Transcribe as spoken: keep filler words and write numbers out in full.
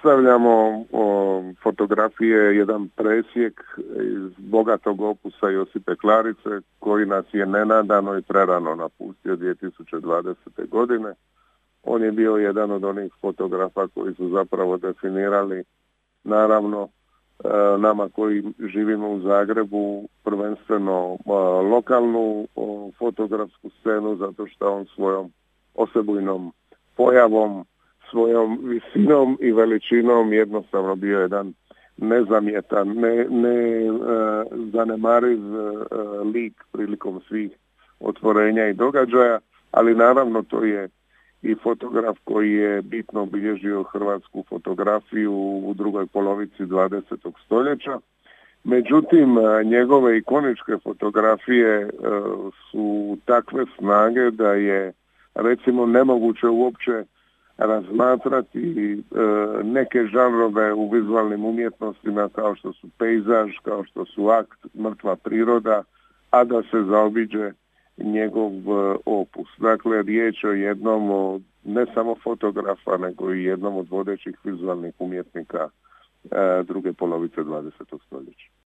predstavljamo o, fotografije, jedan presjek iz bogatog opusa Josipe Klarice, koji nas je nenadano i prerano napustio dvije tisuće dvadesete. godine. On je bio jedan od onih fotografa koji su zapravo definirali, naravno, nama koji živimo u Zagrebu, prvenstveno lokalnu fotografsku scenu, zato što on svojom osebujnom pojavom, svojom visinom i veličinom jednostavno bio jedan nezamjetan, ne, ne uh, zanemariv uh, lik prilikom svih otvorenja i događaja, ali naravno to je i fotograf koji je bitno obilježio hrvatsku fotografiju u drugoj polovici dvadesetog stoljeća. Međutim, njegove ikoničke fotografije uh, su takve snage da je, recimo, nemoguće uopće razmatrati e, neke žanrove u vizualnim umjetnostima kao što su pejzaž, kao što su akt, mrtva priroda, a da se zaobiđe njegov e, opus. Dakle, riječ o jednom od, ne samo fotografa, nego i jednom od vodećih vizualnih umjetnika e, druge polovice dvadesetog stoljeća.